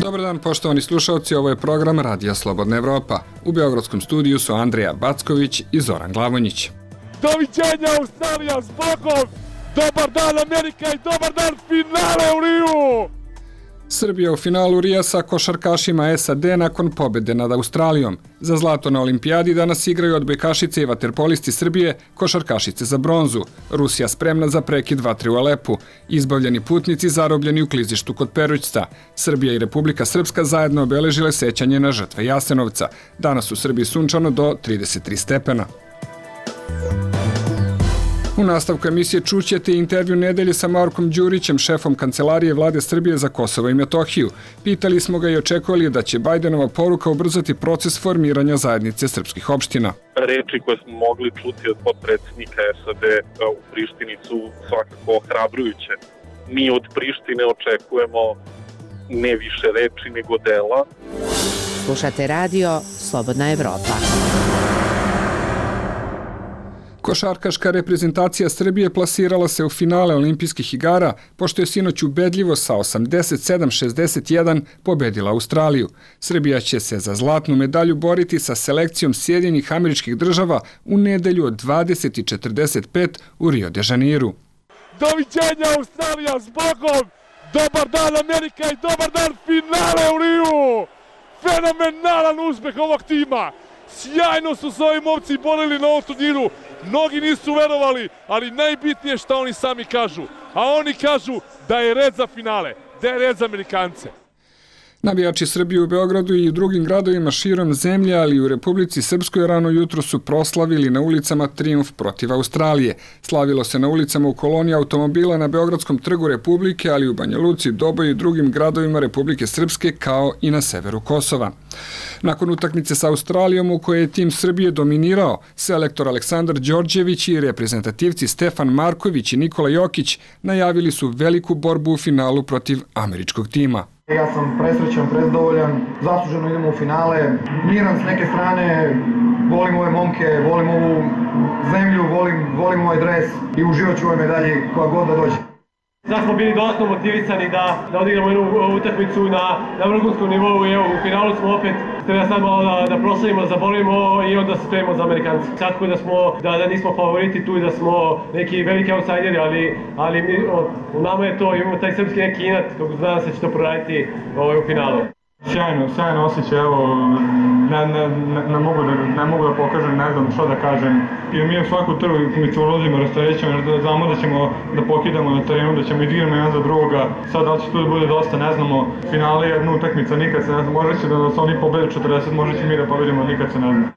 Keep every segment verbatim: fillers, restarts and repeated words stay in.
Dobar dan, poštovani slušalci, ovo je program Radija Slobodna Evropa. U beogradskom studiju su Andrija Backović i Zoran Glavonjić. Doviđenja Australija s Bogom! Dobar dan Amerika i dobar dan finale u Riju! Srbija u finalu Rija sa košarkašima S A D nakon pobjede nad Australijom. Za zlato na olimpijadi danas igraju odbojkašice i vaterpolisti Srbije, košarkašice za bronzu. Rusija spremna za prekid vatre u Alepu. Izbavljeni putnici zarobljeni u klizištu kod Perućca. Srbija i Republika Srpska zajedno obeležile sećanje na žrtve Jasenovca. Danas u Srbiji sunčano do trideset tri stepena. U nastavku emisije čućete intervju nedelje sa Markom Đurićem, šefom Kancelarije Vlade Srbije za Kosovo i Metohiju. Pitali smo ga i očekovali da će Bajdenova poruka ubrzati proces formiranja zajednice srpskih opština. Reči koje smo mogli čuti od potpredsjednika S A D u Prištini su svakako ohrabrujuće. Mi od Prištine očekujemo ne više reči nego dela. Slušate radio Slobodna Evropa. Košarkaška reprezentacija Srbije plasirala se u finale olimpijskih igara, pošto je sinoć ubedljivo sa osamdeset sedam šezdeset jedan pobedila Australiju. Srbija će se za zlatnu medalju boriti sa selekcijom Sjedinjenih Američkih Država u nedelju od dvadeset i četrdeset pet u Rio de Janeiru. Doviđenja Australija s Bogom! Dobar dan Amerika i dobar dan finale u Riju! Fenomenalan uspeh ovog tima! Sjajno su se ovi momci borili na ovom turniru. Mnogi nisu verovali, ali najbitnije što oni sami kažu. A oni kažu da je red za finale, da je red za Amerikance. Navijači Srbije u Beogradu i u drugim gradovima širom zemlje, ali i u Republici Srpskoj rano jutro su proslavili na ulicama trijumf protiv Australije. Slavilo se na ulicama u koloni automobila na Beogradskom trgu Republike, ali i u Banja Luci, Doboju i drugim gradovima Republike Srpske, kao i na severu Kosova. Nakon utakmice sa Australijom u kojoj je tim Srbije dominirao, selektor Aleksandar Đorđević i reprezentativci Stefan Marković i Nikola Jokić najavili su veliku borbu u finalu protiv američkog tima. Ja sam presrećan, prezadovoljan, zasluženo idemo u finale, miran s neke strane, volim ove momke, volim ovu zemlju, volim, volim ovaj dres i uživat ću ovoj medalji koja god da dođe. Sad smo bili dodatno motivisani da, da odigramo jednu utakmicu na, na vrhunskom nivou i evo u finalu smo opet treba sad malo da, da proslavimo, da zabolimo i onda se spremimo za Amerikanci. Svakako da, smo, da, da nismo favoriti tu i da smo neki veliki outsideri, ali, ali mi, o, u nama je to, imamo taj srpski neki inat, kako znam se će to proraditi ovaj, u finalu. Sjajno, sjajno osjećaj, evo, ne, ne, ne, ne, mogu da, ne mogu da pokažem, ne znam što da kažem. I mi u svaku utakmicu ulazimo, rasterećemo, jer znamo da ćemo da pokidamo na terenu, da ćemo igrati jedan za drugoga. Sad da će tu da bude dosta, ne znamo, finale je jedna utakmica, nikad se ne znam, može će da nas oni pobede četrdeset, može će mi da pobedimo, nikad se ne znam.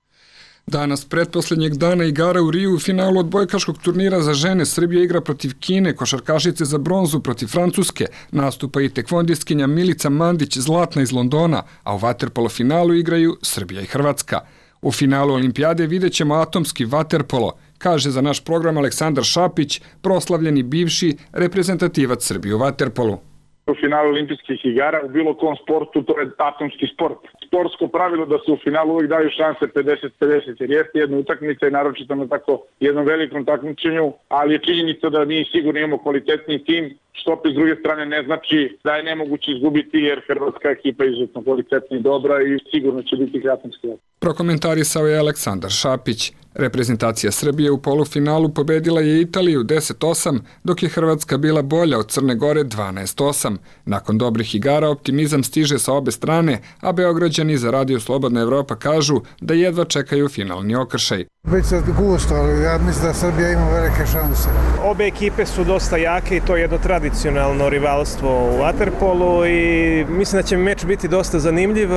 Danas, pretposlednjeg dana igara u Riju u finalu odbojkaškog turnira za žene, Srbija igra protiv Kine, košarkašice za bronzu protiv Francuske, nastupa i tekvondistkinja Milica Mandić, zlatna iz Londona, a u vaterpolo finalu igraju Srbija i Hrvatska. U finalu olimpijade vidjet ćemo atomski vaterpolo, kaže za naš program Aleksandar Šapić, proslavljeni bivši reprezentativac Srbije u vaterpolu. U finalu olimpijskih igara u bilo kom sportu to je atomski sport. Sportsko pravilo da se u finalu uvijek daju šanse pedeset pedeset jer jeste jedna utakmica i naročito na tako jednom velikom takmičenju, ali je činjenica da mi sigurno imamo kvalitetni tim, što opet s druge strane ne znači da je nemoguće izgubiti jer hrvatska ekipa je izuzetno kvalitetna i dobra i sigurno će biti atomski. Prokomentarisao je Aleksandar Šapić. Reprezentacija Srbije u polufinalu pobedila je Italiju deset osam, dok je Hrvatska bila bolja od Crne Gore dvanaest osam. Nakon dobrih igara optimizam stiže sa obe strane, a Beograđani za Radio Slobodna Evropa kažu da jedva čekaju finalni okršaj. Biće gusto, ali ja mislim da Srbija ima velike šanse. Obe ekipe su dosta jake i to je jedno tradicionalno rivalstvo u vaterpolu i mislim da će meč biti dosta zanimljiv.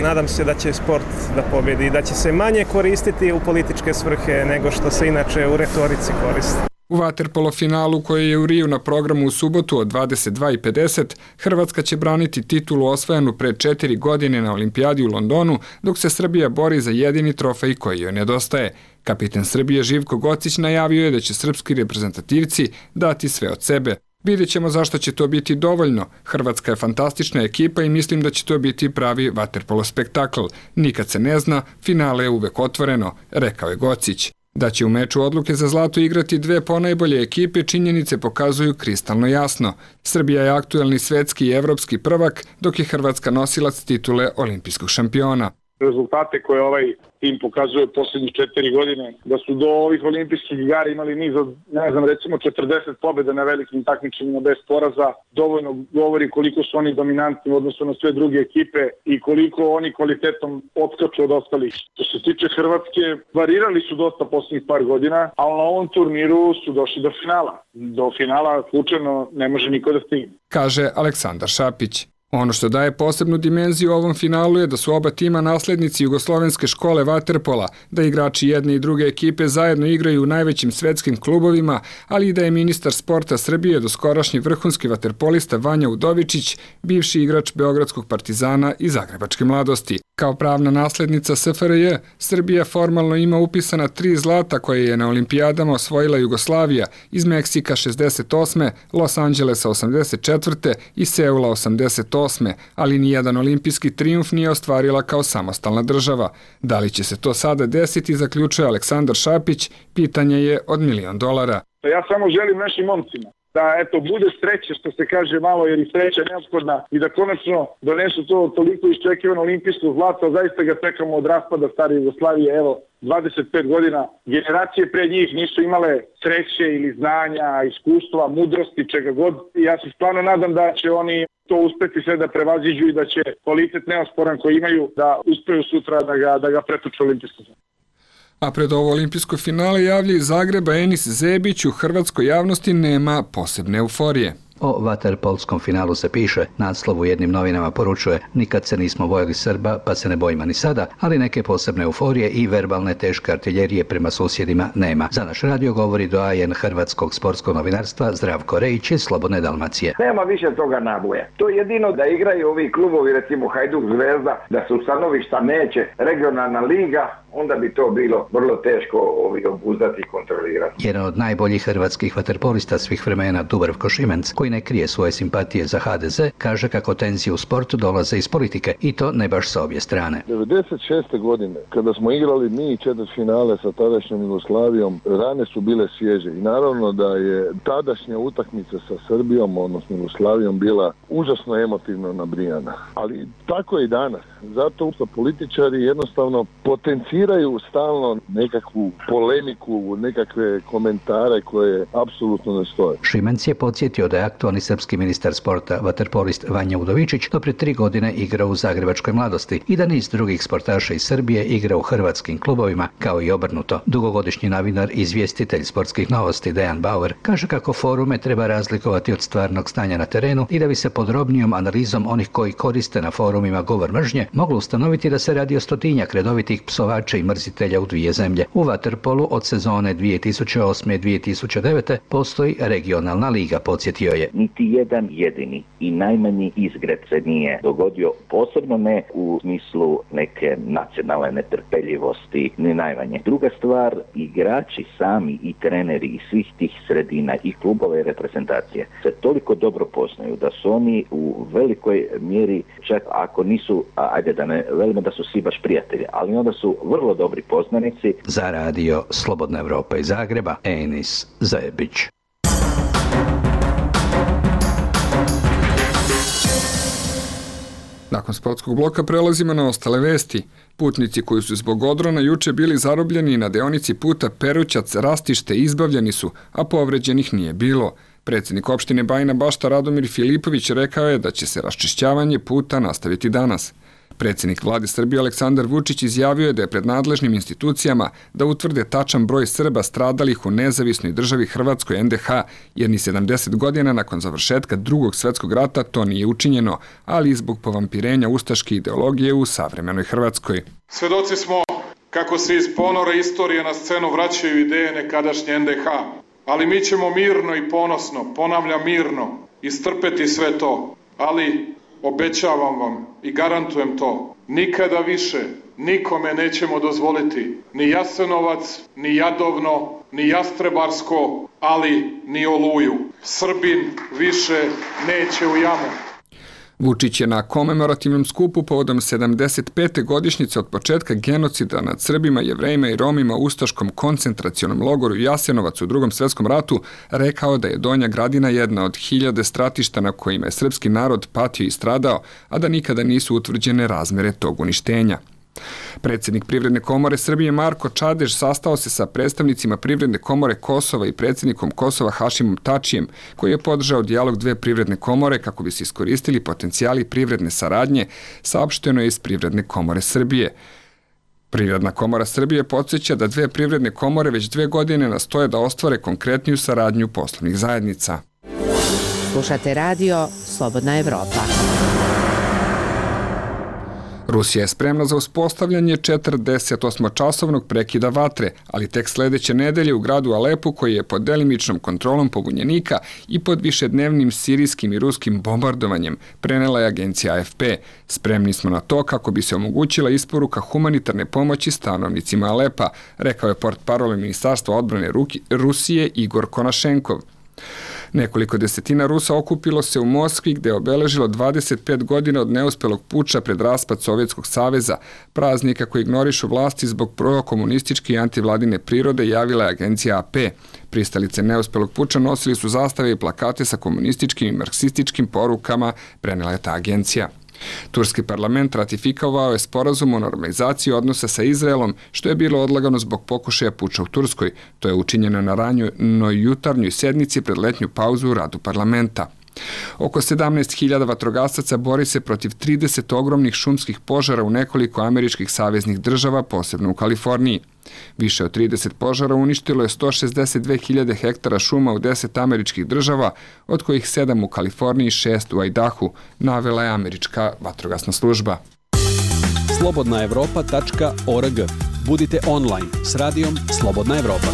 Nadam se da će sport da pobedi i da će se manje koristiti u političke svrhe nego što se inače u retorici koristi. U vaterpolo finalu koji je u Riju na programu u subotu od dvadeset dva i pedeset, Hrvatska će braniti titulu osvojenu pre četiri godine na olimpijadi u Londonu, dok se Srbija bori za jedini trofej koji joj nedostaje. Kapiten Srbije Živko Gocić najavio je da će srpski reprezentativci dati sve od sebe. Vidjet ćemo zašto će to biti dovoljno. Hrvatska je fantastična ekipa i mislim da će to biti pravi vaterpolo spektakl. Nikad se ne zna, finale je uvek otvoreno, rekao je Gocić. Da će u meču odluke za zlato igrati dve ponajbolje ekipe, činjenice pokazuju kristalno jasno. Srbija je aktuelni svetski i evropski prvak, dok je Hrvatska nosilac titule olimpijskog šampiona. Rezultate koje ovaj tim pokazuje posljednjih četiri godine, da su do ovih olimpijskih igara imali niz od, ne znam, recimo četrdeset pobjeda na velikim takmičenjima bez poraza, dovoljno govori koliko su oni dominantni u odnosu na sve druge ekipe i koliko oni kvalitetom odskaču od ostalih. Što se tiče Hrvatske, varirali su dosta posljednjih par godina, ali na ovom turniru su došli do finala. Do finala slučajno ne može niko da stigne. Kaže Aleksandar Šapić. Ono što daje posebnu dimenziju ovom finalu je da su oba tima naslednici jugoslovenske škole vaterpola, da igrači jedne i druge ekipe zajedno igraju u najvećim svetskim klubovima, ali i da je ministar sporta Srbije doskorašnji vrhunski vaterpolista Vanja Udovičić, bivši igrač Beogradskog Partizana i Zagrebačke Mladosti. Kao pravna naslednica S F R J, Srbija formalno ima upisana tri zlata koje je na olimpijadama osvojila Jugoslavija iz Meksika šezdeset osme, Los Angelesa osamdeset četvrte i Seula osamdeset osme, ali nijedan olimpijski trijumf nije ostvarila kao samostalna država. Da li će se to sada desiti, zaključuje Aleksandar Šapić, pitanje je od milion dolara. Ja samo želim našim momcima da eto bude sreće, što se kaže malo, jer i sreća je neophodna, i da konačno donesu to toliko iščekivano olimpijsko zlato. Zaista ga čekamo od raspada stare Jugoslavije, evo, dvadeset pet godina. Generacije pre njih nisu imale sreće ili znanja, iskustva, mudrosti, čega god. I ja se stvarno nadam da će oni to uspeti sve da prevaziđu i da će kvalitet neosporan koji imaju da uspeju sutra da ga, da ga pretuče olimpijsko zlato. A pred ovo olimpijsko finale javlja iz Zagreba Enis Zebić, u hrvatskoj javnosti nema posebne euforije. O vaterpolskom finalu se piše, naslov u jednim novinama poručuje: nikad se nismo bojali Srba, pa se ne bojimo ni sada, ali neke posebne euforije i verbalne teške artiljerije prema susjedima nema. Za naš radio govori doajen hrvatskog sportskog novinarstva Zdravko Rejić iz Slobodne Dalmacije. Nema više toga naboja. To je jedino da igraju ovi klubovi, recimo Hajduk, Zvezda, da su stanovišta neće, regionalna liga, onda bi to bilo vrlo teško ovi obuzdati i kontrolirati. Jedan od najboljih hrvatskih vaterpolista svih vremena, Dubravko Šimenc, koji ne krije svoje simpatije za H D Z, kaže kako tenzije u sportu dolaze iz politike, i to ne baš sa obje strane. devedeset šeste godine, kada smo igrali mi četvrtfinale sa tadašnjom Jugoslavijom, rane su bile svježe i naravno da je tadašnja utakmica sa Srbijom, odnosno Jugoslavijom, bila užasno emotivno nabrijana. Ali tako je i danas. Zato što političari jednostavno potenciraju stalno nekakvu polemiku, nekakve komentare koje apsolutno ne stoje. Šimenc je podsjetio da je aktualni srpski ministar sporta, vaterpolist Vanja Udovičić, do prije tri godine igrao u Zagrebačkoj Mladosti i da niz drugih sportaša iz Srbije igra u hrvatskim klubovima, kao i obrnuto. Dugogodišnji novinar i izvjestitelj sportskih novosti Dejan Bauer kaže kako forume treba razlikovati od stvarnog stanja na terenu i da bi se podrobnijom analizom onih koji koriste na forumima govor mržnje moglo ustanoviti da se radi o stotinjak redovitih psovača i mrzitelja u dvije zemlje. U vaterpolu od sezone dvije tisuće osme dvije tisuće devete postoji regionalna liga, podsjetio je. Niti jedan jedini i najmanji izgred se nije dogodio, posebno ne u smislu neke nacionalne netrpeljivosti, ni najmanje. Druga stvar, igrači sami i treneri iz svih tih sredina i klubova i reprezentacije se toliko dobro poznaju da su oni u velikoj mjeri, čak ako nisu, ajde da ne velimo da su svi baš prijatelji, ali onda su vrlo dobri poznanici. Za radio Slobodna Evropa iz Zagreba, Enis Zebić. Nakon sportskog bloka prelazimo na ostale vesti. Putnici koji su zbog odrona juče bili zarobljeni na deonici puta Perućac-Rastište izbavljeni su, a povređenih nije bilo. Predsjednik opštine Bajina Bašta Radomir Filipović rekao je da će se raščišćavanje puta nastaviti danas. Predsjednik vlade Srbije Aleksandar Vučić izjavio je da je pred nadležnim institucijama da utvrde tačan broj Srba stradalih u nezavisnoj državi Hrvatskoj N D H, jer ni sedamdeset godina nakon završetka Drugog svjetskog rata to nije učinjeno, ali i zbog povampirenja ustaške ideologije u savremenoj Hrvatskoj. Svedoci smo kako se iz ponora istorije na scenu vraćaju ideje nekadašnje N D H, ali mi ćemo mirno i ponosno, ponavljam mirno, istrpeti sve to, ali obećavam vam i garantujem to, nikada više nikome nećemo dozvoliti ni Jasenovac, ni Jadovno, ni Jastrebarsko, ali ni Oluju. Srbin više neće u jamu. Vučić je na komemorativnom skupu povodom sedamdeset pete godišnjice od početka genocida nad Srbima, Jevrejima i Romima u ustaškom koncentracionom logoru Jasenovac u Drugom svetskom ratu rekao da je Donja Gradina jedna od hiljade stratišta na kojima je srpski narod patio i stradao, a da nikada nisu utvrđene razmere tog uništenja. Predsjednik Privredne komore Srbije Marko Čadež sastao se sa predstavnicima Privredne komore Kosova i predsjednikom Kosova Hašimom Tačijem, koji je podržao dijalog dve privredne komore kako bi se iskoristili potencijali privredne saradnje, saopšteno je iz Privredne komore Srbije. Privredna komora Srbije podsjeća da dve privredne komore već dve godine nastoje da ostvare konkretniju saradnju poslovnih zajednica. Slušate radio Slobodna Evropa. Rusija je spremna za uspostavljanje četrdesetosmočasovnog prekida vatre, ali tek sledeće nedelje u gradu Alepu, koji je pod delimičnom kontrolom pobunjenika i pod višednevnim sirijskim i ruskim bombardovanjem, prenela je agencija A F P. Spremni smo na to kako bi se omogućila isporuka humanitarne pomoći stanovnicima Alepa, rekao je portparol Ministarstva odbrane Rusije Igor Konašenkov. Nekoliko desetina Rusa okupilo se u Moskvi gde je obeležilo dvadeset pet godina od neuspelog puča pred raspad Sovjetskog saveza, praznika koji ignorišu vlasti zbog prokomunističke i antivladine prirode, javila je agencija A P. Pristalice neuspelog puča nosili su zastave i plakate sa komunističkim i marksističkim porukama, prenela je ta agencija. Turski parlament ratifikovao je sporazum o normalizaciji odnosa sa Izraelom, što je bilo odlagano zbog pokušaja puča u Turskoj. To je učinjeno na ranjoj jutarnjoj sednici pred letnju pauzu u radu parlamenta. Oko sedamnaest hiljada vatrogasaca bori se protiv trideset ogromnih šumskih požara u nekoliko američkih saveznih država, posebno u Kaliforniji. Više od trideset požara uništilo je sto šezdeset dve hiljade hektara šuma u deset američkih država, od kojih sedam u Kaliforniji i šest u Idahu, navela je američka vatrogasna služba. slobodna evropa tačka org. Budite online s radijom Slobodna Evropa.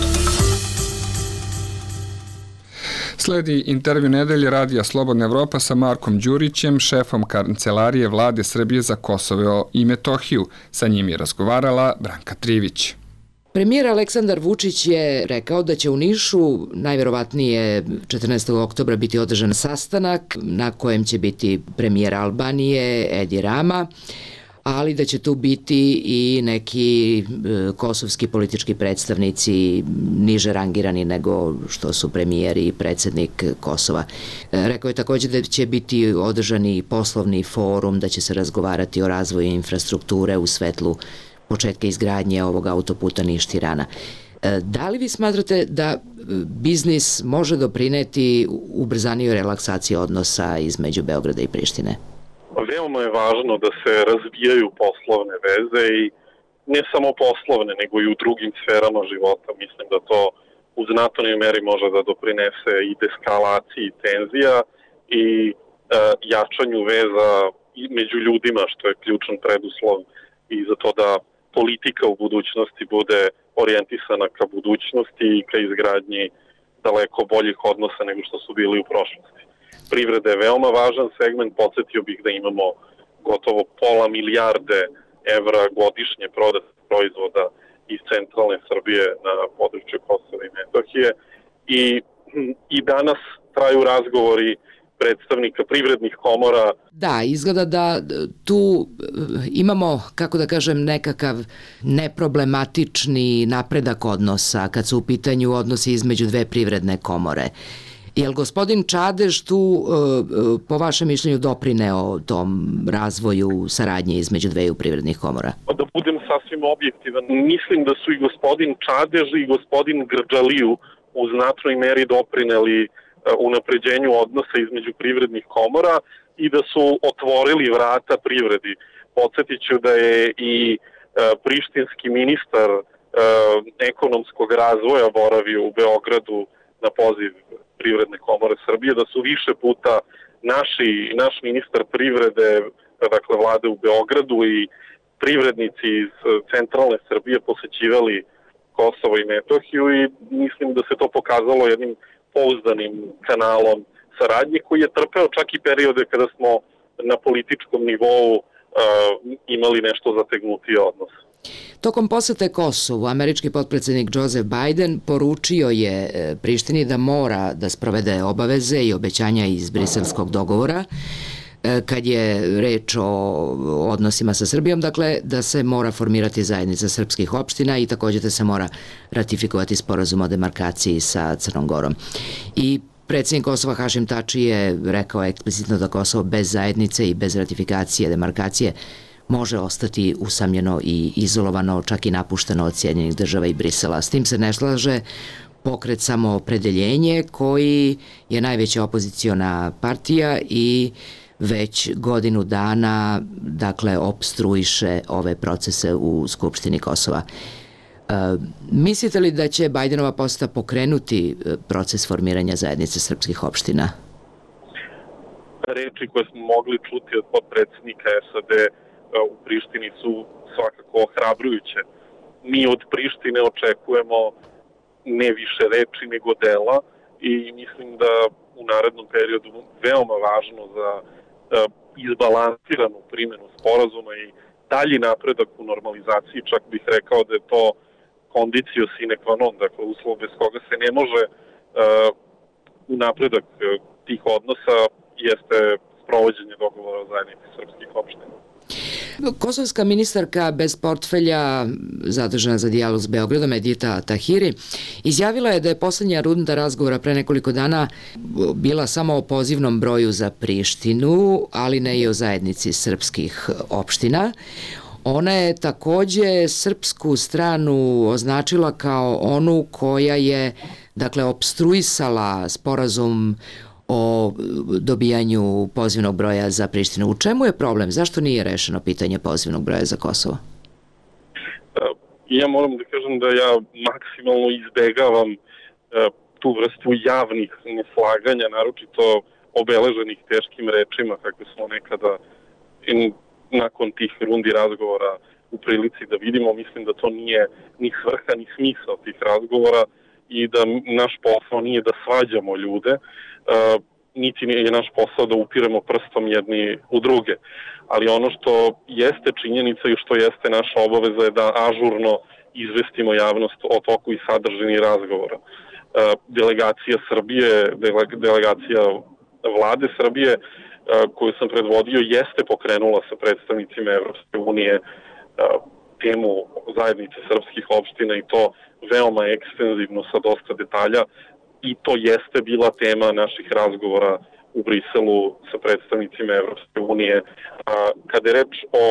Sledi intervju nedelje radija Slobodna Evropa sa Markom Đurićem, šefom kancelarije Vlade Srbije za Kosovo i Metohiju. Sa njim je razgovarala Branka Trivić. Premijer Aleksandar Vučić je rekao da će u Nišu najverovatnije četrnaestog oktobra biti održan sastanak na kojem će biti premijer Albanije Edi Rama, ali da će tu biti i neki kosovski politički predstavnici niže rangirani nego što su premijer i predsjednik Kosova. Rekao je također da će biti održani poslovni forum, da će se razgovarati o razvoju infrastrukture u svetlu početka izgradnje ovog autoputa Niš-Tirana. Da li vi smatrate da biznis može doprineti ubrzanijoj relaksaciji odnosa između Beograda i Prištine? Veoma je važno da se razvijaju poslovne veze i ne samo poslovne, nego i u drugim sferama života. Mislim da to u znatnoj meri može da doprinese i deskalaciji tenzija i e, jačanju veza među ljudima, što je ključan preduslov i za to da politika u budućnosti bude orijentisana ka budućnosti i ka izgradnji daleko boljih odnosa nego što su bili u prošlosti. Privreda je veoma važan segment, podsjetio bih da imamo gotovo pola milijarde evra godišnje prodatih proizvoda iz centralne Srbije na području Kosova i Metohije i, i danas traju razgovori predstavnika privrednih komora. Da, izgleda da tu imamo, kako da kažem, nekakav neproblematični napredak odnosa kad su u pitanju odnosi između dve privredne komore. Je li gospodin Čadež tu, po vašem mišljenju, doprineo tom razvoju saradnje između dveju privrednih komora? Da budem sasvim objektivan, mislim da su i gospodin Čadež i gospodin Grđaliju u znatnoj meri doprineli unapređenju odnosa između privrednih komora i da su otvorili vrata privredi. Podsjetit ću da je i prištinski ministar ekonomskog razvoja boravio u Beogradu na poziv Privredne komore Srbije, da su više puta naši, naš ministar privrede, dakle vlade u Beogradu i privrednici iz centralne Srbije posećivali Kosovo i Metohiju i mislim da se to pokazalo jednim pouzdanim kanalom saradnje koji je trpeo čak i periode kada smo na političkom nivou uh, imali nešto zategnutiji odnos. Tokom posete Kosovu, američki potpredsjednik Joseph Biden poručio je Prištini da mora da sprovede obaveze i obećanja iz briselskog dogovora. kad je reč o odnosima sa Srbijom, dakle da se mora formirati zajednica srpskih opština i takođe da se mora ratifikovati sporazum o demarkaciji sa Crnom Gorom. I predsjednik Kosova Hašim Tači je rekao eksplicitno da Kosovo bez zajednice i bez ratifikacije, demarkacije može ostati usamljeno i izolovano, čak i napušteno od Sjedinjenih država i Brisela. S tim se ne slaže Pokret Samoopredeljenje, koji je najveća opoziciona partija i već godinu dana, dakle, opstruiše ove procese u Skupštini Kosova. E, mislite li da će Bajdenova poseta pokrenuti proces formiranja zajednice srpskih opština? Reči koje smo mogli čuti od potpredsjednika S A D u Prištini su svakako ohrabrujuće. Mi od Prištine očekujemo ne više reči nego dela i mislim da u narednom periodu veoma važno za izbalansiranu primjenu sporazuma i dalji napredak u normalizaciji, čak bih rekao da je to condicio sine qua non, dakle uslov bez koga se ne može u napredak tih odnosa jeste sprovođenje dogovora o zajednici srpskih opština. Kosovska ministarka bez portfelja zadužena za dijalog s Beogradom, Edita Tahiri, izjavila je da je poslednja runda razgovora pre nekoliko dana bila samo o pozivnom broju za Prištinu, ali ne i o zajednici srpskih opština. Ona je takođe srpsku stranu označila kao onu koja je, dakle, opstruisala sporazum o dobijanju pozivnog broja za Prištinu. U čemu je problem? Zašto nije rešeno pitanje pozivnog broja za Kosovo? Ja moram da kažem da ja maksimalno izbegavam tu vrstu javnih neslaganja, naročito obeleženih teškim rečima, kako smo nekada nakon tih rundi razgovora u prilici da vidimo. Mislim da to nije ni svrha ni smisao tih razgovora i da naš posao nije da svađamo ljude, Uh, niti je naš posao da upiremo prstom jedni u druge. Ali ono što jeste činjenica i što jeste naša obaveza je da ažurno izvestimo javnost o toku i sadržini razgovora. Uh, delegacija Srbije, dele, delegacija vlade Srbije uh, koju sam predvodio jeste pokrenula sa predstavnicima Evropske unije uh, temu zajednice srpskih opština i to veoma ekstenzivno sa dosta detalja. I to jeste bila tema naših razgovora u Briselu sa predstavnicima Evropske unije. Kada je reč o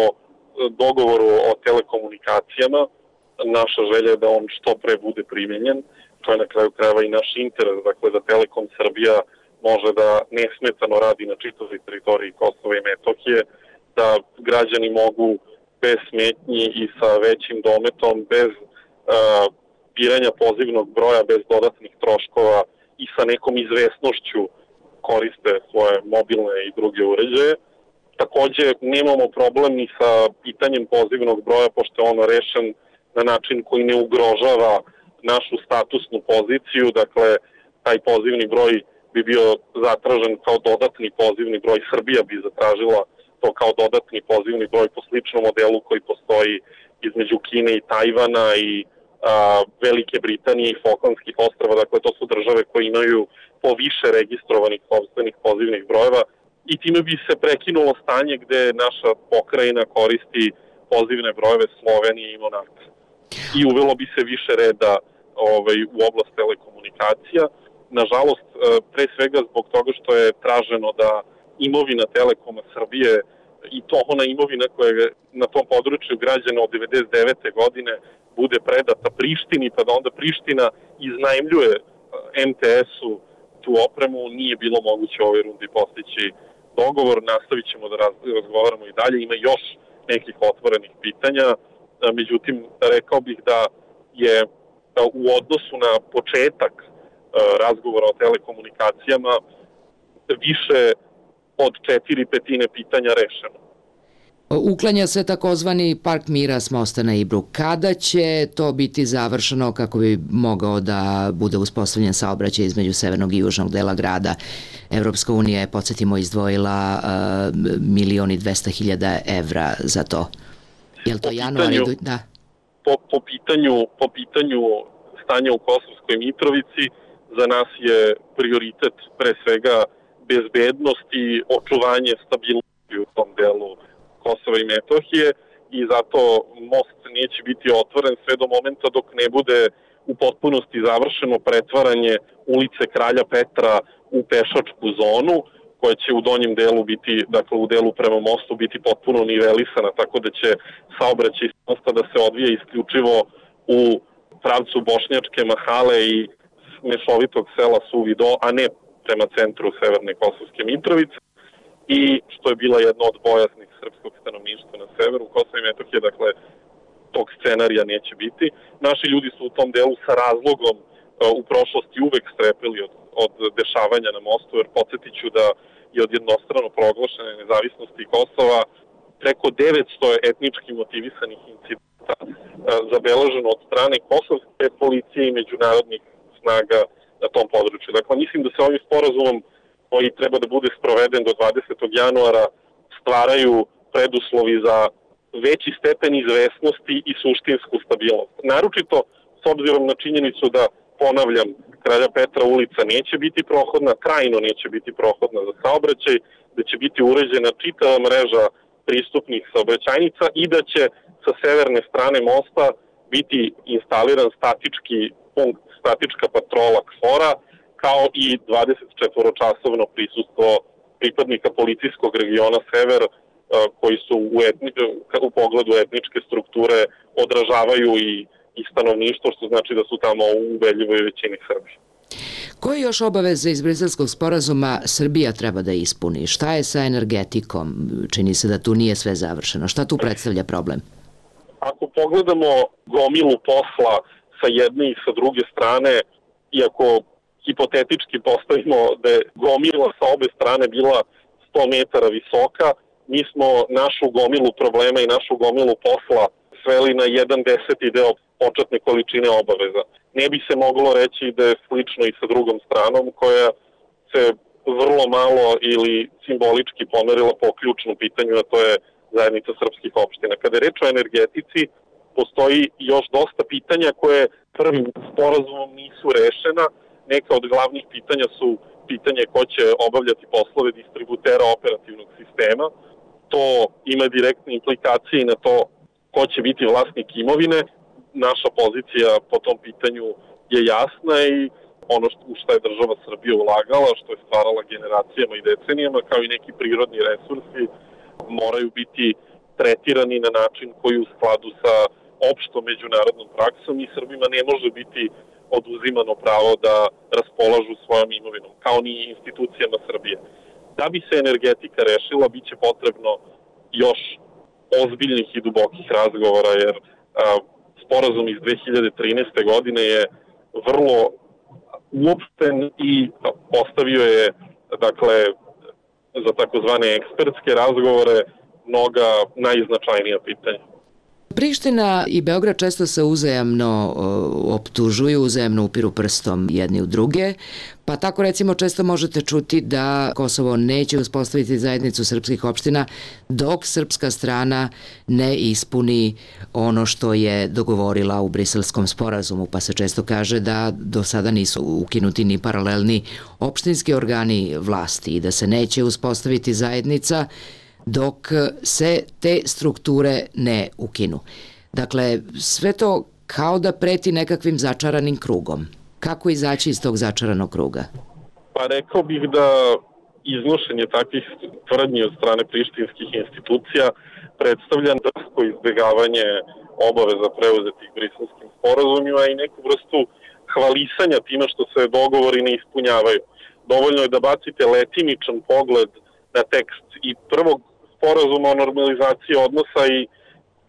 dogovoru o telekomunikacijama, naša želja je da on što pre bude primenjen. To je na kraju krajeva i naš interes, dakle da Telekom Srbija može da nesmetano radi na čitavoj teritoriji Kosova i Metohije, da građani mogu bez smetnji i sa većim dometom, bez uh, biranja pozivnog broja, bez dodatnih troškova i sa nekom izvesnošću koriste svoje mobilne i druge uređaje. Takođe, nemamo problem ni sa pitanjem pozivnog broja, pošto je ono rešen na način koji ne ugrožava našu statusnu poziciju. Dakle, taj pozivni broj bi bio zatražen kao dodatni pozivni broj. Srbija bi zatražila to kao dodatni pozivni broj po sličnom modelu koji postoji između Kine i Tajvana i a, Velike Britanije i Falklandskih ostrava. Dakle, to su države koje imaju po više registrovanih sopstvenih pozivnih brojeva i time bi se prekinulo stanje gde naša pokrajina koristi pozivne brojeve Slovenije i Monaka. I uvelo bi se više reda ovaj, u oblast telekomunikacija. Nažalost, pre svega zbog toga što je traženo da imovina Telekoma Srbije i to ona imovina koja je na tom području građana od devedeset devete godine bude predata Prištini, pa da onda Priština iznajmljuje M T S-u tu opremu, nije bilo moguće u ovoj rundi postići dogovor. Nastavit ćemo da razgovaramo i dalje. Ima još nekih otvorenih pitanja. Međutim, rekao bih da je u odnosu na početak razgovora o telekomunikacijama više od četiri petine pitanja rešeno. Uklanja se takozvani Park mira s mosta na Ibru. Kada će to biti završeno kako bi mogao da bude uspostavljen saobraćaj između severnog i južnog dela grada? Evropska unija je, podsjetimo, izdvojila uh, milion i dvesta hiljada evra za to. Je li to januar? Da. Po, po, pitanju, po pitanju stanja u Kosovskoj Mitrovici za nas je prioritet pre svega bezbednost i očuvanje stabilnosti u tom delu Kosova i Metohije i zato most neće biti otvoren sve do momenta dok ne bude u potpunosti završeno pretvaranje ulice Kralja Petra u pešačku zonu, koja će u donjem delu biti, dakle u delu prema mostu biti potpuno nivelisana, tako da će saobraćaj s mosta da se odvija isključivo u pravcu Bošnjačke Mahale i mešovitog sela Suvi Do, a ne prema centru Severne Kosovske Mitrovice. I što je bila jedna od bojaznih srpskog stanovništva na severu Kosova i Metohije, dakle tog scenarija neće biti. Naši ljudi su u tom delu sa razlogom u prošlosti uvek strepili od, od dešavanja na mostu, jer podsjetit ću da je od jednostrano proglašene nezavisnosti Kosova preko devetsto etnički motivisanih incidenta zabeleženo od strane kosovske policije i međunarodnih snaga na tom području. Dakle, mislim da se ovim sporazumom koji treba da bude sproveden do dvadesetog januara stvaraju preduslovi za veći stepen izvesnosti i suštinsku stabilnost. Naročito s obzirom na činjenicu da, ponavljam, Kralja Petra ulica neće biti prohodna, trajno neće biti prohodna za saobraćaj, da će biti uređena čitava mreža pristupnih saobraćajnica i da će sa severne strane mosta biti instaliran statički punkt, statička patrola KFOR-a, kao i dvadesetčetvoročasovno prisustvo pripadnika policijskog regiona Sever, koji su u, etni, u pogledu etničke strukture odražavaju i, i stanovništvo, što znači da su tamo u ubedljivoj većini Srbi. Koje još obaveze iz Briselskog sporazuma Srbija treba da ispuni? Šta je sa energetikom? Čini se da tu nije sve završeno. Šta tu predstavlja problem? Ako pogledamo gomilu posla sa jedne i sa druge strane, iako hipotetički postavimo da je gomila sa obe strane bila sto metara visoka, mi smo našu gomilu problema i našu gomilu posla sveli na jedan deseti deo početne količine obaveza. Ne bi se moglo reći da je slično i sa drugom stranom, koja se vrlo malo ili simbolički pomerila po ključnom pitanju, a to je zajednica srpskih opština. Kada je reč o energetici, postoji još dosta pitanja koje prvim sporazumom nisu rešena. Neka od glavnih pitanja su pitanje ko će obavljati poslove distributera operativnog sistema. To ima direktne implikacije na to ko će biti vlasnik imovine. Naša pozicija po tom pitanju je jasna i ono u što je država Srbija ulagala, što je stvarala generacijama i decenijama, kao i neki prirodni resursi, moraju biti tretirani na način koji u skladu sa opštom međunarodnom praksom i Srbima ne može biti oduzimano pravo da raspolažu svojom imovinom, kao ni institucijama Srbije. Da bi se energetika rešila, bit će potrebno još ozbiljnih i dubokih razgovora, jer a, sporazum iz dve hiljade trinaeste. godine je vrlo uopšten i postavio je, dakle, za takozvane ekspertske razgovore mnoga najznačajnija pitanja. Priština i Beograd često se uzajamno optužuju, uzajamno upiru prstom jedni u druge, pa tako recimo često možete čuti da Kosovo neće uspostaviti zajednicu srpskih opština dok srpska strana ne ispuni ono što je dogovorila u Briselskom sporazumu, pa se često kaže da do sada nisu ukinuti ni paralelni opštinski organi vlasti i da se neće uspostaviti zajednica dok se te strukture ne ukinu. Dakle, sve to kao da preti nekakvim začaranim krugom. Kako izaći iz tog začaranog kruga? Pa rekao bih da iznošenje takvih tvrdnji od strane prištinskih institucija predstavlja drsko izbjegavanje obaveza preuzetih Briselskim sporazumima i neku vrstu hvalisanja time što se dogovori ne ispunjavaju. Dovoljno je da bacite letimičan pogled na tekst i prvog sporazuma o normalizaciji odnosa i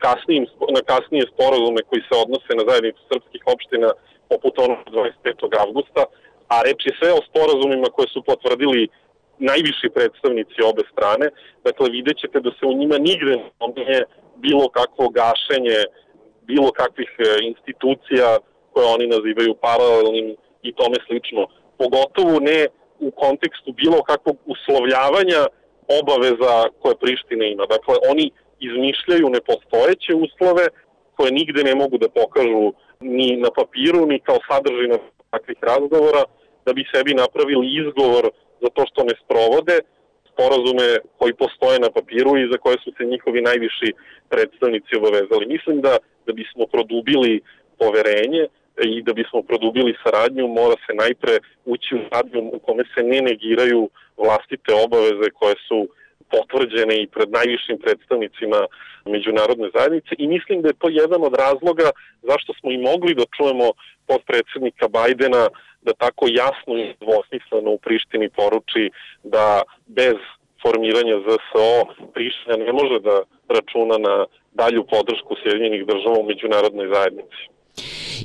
kasnijim, na kasnije sporazume koji se odnose na zajednicu srpskih opština poput onog dvadeset petog avgusta, a reč je sve o sporazumima koje su potvrdili najviši predstavnici obe strane. Dakle, vidjet ćete da se u njima nigde ne bilo kakvo gašenje, bilo kakvih institucija koje oni nazivaju paralelnim i tome slično. Pogotovo ne u kontekstu bilo kakvog uslovljavanja obaveza koje Priština ima. Dakle, oni izmišljaju nepostojeće uslove koje nigde ne mogu da pokažu ni na papiru, ni kao sadržina takvih razgovora, da bi sebi napravili izgovor za to što ne sprovode sporazume koji postoje na papiru i za koje su se njihovi najviši predstavnici obavezali. Mislim da da bismo produbili poverenje i da bismo produbili saradnju, mora se najpre ući u saradnju u kome se ne negiraju vlastite obaveze koje su potvrđene i pred najvišim predstavnicima međunarodne zajednice i mislim da je to jedan od razloga zašto smo i mogli da čujemo potpredsednika Bajdena da tako jasno i dvosmisleno u Prištini poruči da bez formiranja Z S O Priština ne može da računa na dalju podršku Sjedinjenih država u međunarodnoj zajednici.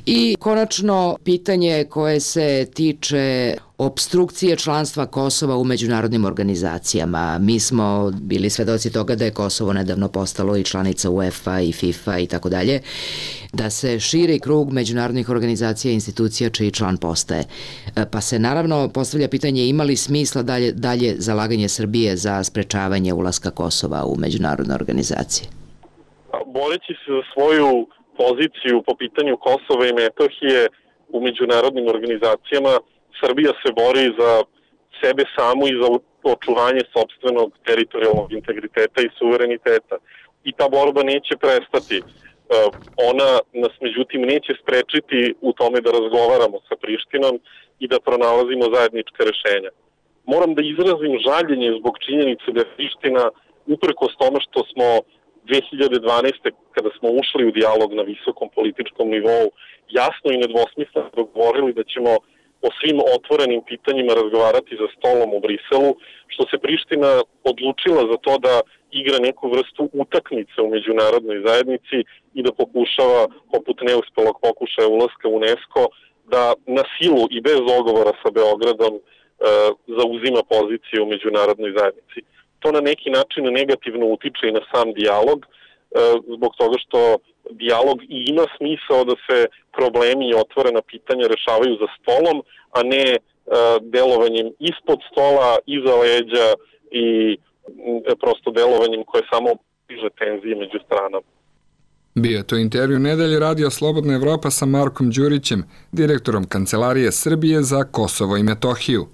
I konačno pitanje koje se tiče opstrukcije članstva Kosova u međunarodnim organizacijama. Mi smo bili svedoci toga da je Kosovo nedavno postalo i članica UEFA i FIFA i tako dalje, da se širi krug međunarodnih organizacija i institucija čiji član postaje. Pa se naravno postavlja pitanje ima li smisla dalje, dalje zalaganje Srbije za sprečavanje ulaska Kosova u međunarodne organizacije? Boreći se za svoju poziciju po pitanju Kosova i Metohije u međunarodnim organizacijama, Srbija se bori za sebe samu i za očuvanje sopstvenog teritorijalnog integriteta i suvereniteta. I ta borba neće prestati. Ona nas međutim neće sprečiti u tome da razgovaramo sa Prištinom i da pronalazimo zajednička rešenja. Moram da izrazim žaljenje zbog činjenice da je Priština, uprkos tome što smo dve hiljade dvanaeste. kada smo ušli u dijalog na visokom političkom nivou, jasno i nedvosmisleno dogovorili da ćemo o svim otvorenim pitanjima razgovarati za stolom u Briselu, što se Priština odlučila za to da igra neku vrstu utakmice u međunarodnoj zajednici i da pokušava, poput neuspelog pokušaja ulaska u UNESCO, da na silu i bez dogovora sa Beogradom e, zauzima poziciju u međunarodnoj zajednici. To na neki način negativno utiče i na sam dijalog, zbog toga što dijalog i ima smisao da se problemi i otvorena pitanja rešavaju za stolom, a ne delovanjem ispod stola, iza leđa i prosto delovanjem koje samo diže tenzije među stranama. Bio je to intervju Nedelje Radio Slobodna Evropa sa Markom Đurićem, direktorom Kancelarije Srbije za Kosovo i Metohiju.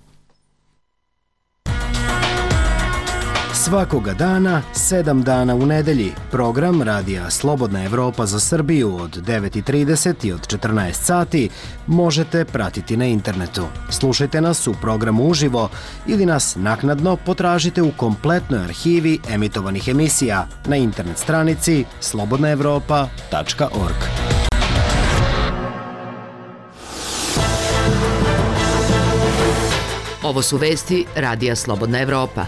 Svakoga dana, sedam dana u nedelji, program Radija Slobodna Evropa za Srbiju od devet i trideset i od četrnaest sati možete pratiti na internetu. Slušajte nas u programu uživo ili nas naknadno potražite u kompletnoj arhivi emitovanih emisija na internet stranici slobodna evropa tačka org. Ovo su vesti Radija Slobodna Evropa.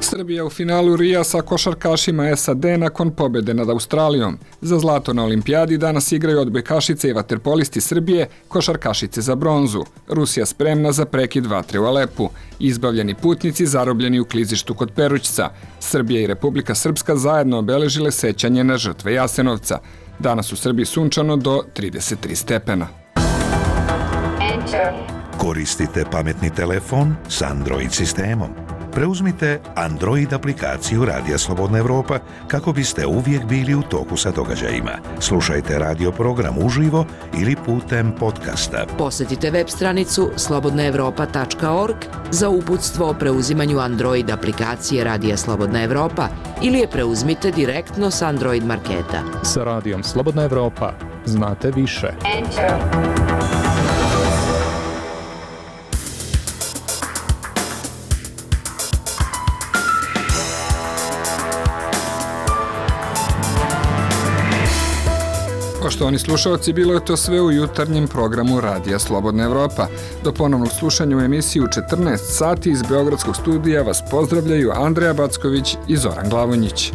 Srbija u finalu Rija sa košarkašima S A D nakon pobede nad Australijom. Za zlato na olimpijadi danas igraju odbojkašice i vaterpolisti Srbije, košarkašice za bronzu. Rusija spremna za prekid vatre u Alepu. Izbavljeni putnici zarobljeni u klizištu kod Perućca. Srbija i Republika Srpska zajedno obeležile sećanje na žrtve Jasenovca. Danas u Srbiji sunčano do trideset tri stepena. Koristite pametni telefon s Android sistemom. Preuzmite Android aplikaciju Radija Slobodna Evropa kako biste uvijek bili u toku sa događajima. Slušajte radio program uživo ili putem podcasta. Posetite web stranicu slobodna evropa tačka org za uputstvo o preuzimanju Android aplikacije Radija Slobodna Evropa ili je preuzmite direktno s Android marketa. Sa Radijom Slobodna Evropa znate više. Enter. Poštovani slušalci, bilo je to sve u jutarnjem programu Radija Slobodna Evropa. Do ponovnog slušanja u emisiji u četrnaest sati iz Beogradskog studija vas pozdravljaju Andreja Backović i Zoran Glavonjić.